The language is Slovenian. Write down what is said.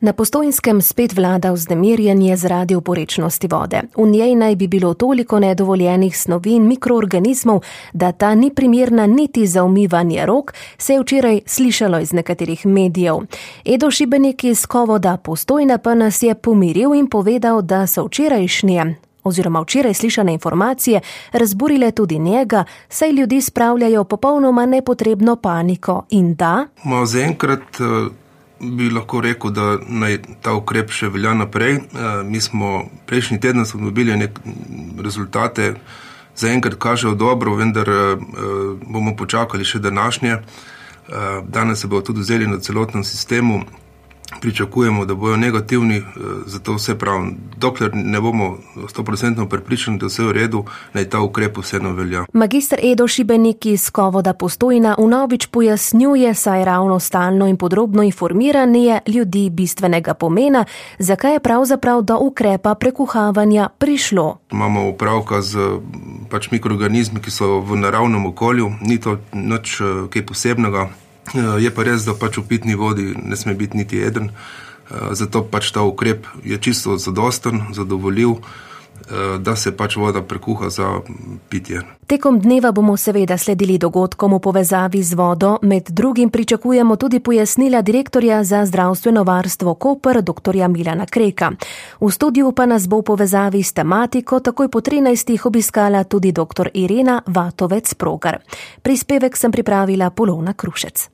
Na Postojnskem spet vlada vznemirjenje zaradi oporečnosti vode. V njej naj bi bilo toliko nedovoljenih snovi in mikroorganizmov, da ta ni primerna niti za umivanje rok, se je včeraj slišalo iz nekaterih medijev. Edo Šibenik iz Kovoda Postojna pa nas je pomiril in povedal, da so včeraj slišane informacije razburile tudi njega, saj ljudi spravljajo popolnoma nepotrebno paniko in da... Zaenkrat bi lahko rekel, da naj ta ukrep še velja naprej. Mi smo prejšnji teden dobili rezultate, zaenkrat kažejo dobro, vendar bomo počakali še današnje. Danes se bodo tudi vzeli na celotnem sistemu. Pričakujemo, da bojo negativni, zato vse pravim, dokler ne bomo 100% prepričani, da vse v redu, naj ta ukrep vseeno velja. Magister Edo Šibenik iz Kovoda Postojna vnovič pojasnjuje, saj ravno stalno in podrobno informiranje ljudi bistvenega pomena, zakaj je pravzaprav do ukrepa prekuhavanja prišlo. Imamo opravka z mikroorganizmi, ki so v naravnem okolju, ni to nič kaj posebnega. Je pa res, da v pitni vodi ne sme biti niti eden, zato ta ukrep je čisto zadosten, zadovoljiv, da se voda prekuha za pitje. Tekom dneva bomo seveda sledili dogodkom v povezavi z vodo, med drugim pričakujemo tudi pojasnila direktorja za zdravstveno varstvo Koper, dr. Milana Kreka. V studiu pa nas bo v povezavi s tematiko takoj po 13. obiskala tudi dr. Irena Vatovec-Progar. Prispevek sem pripravila Polona Krušec.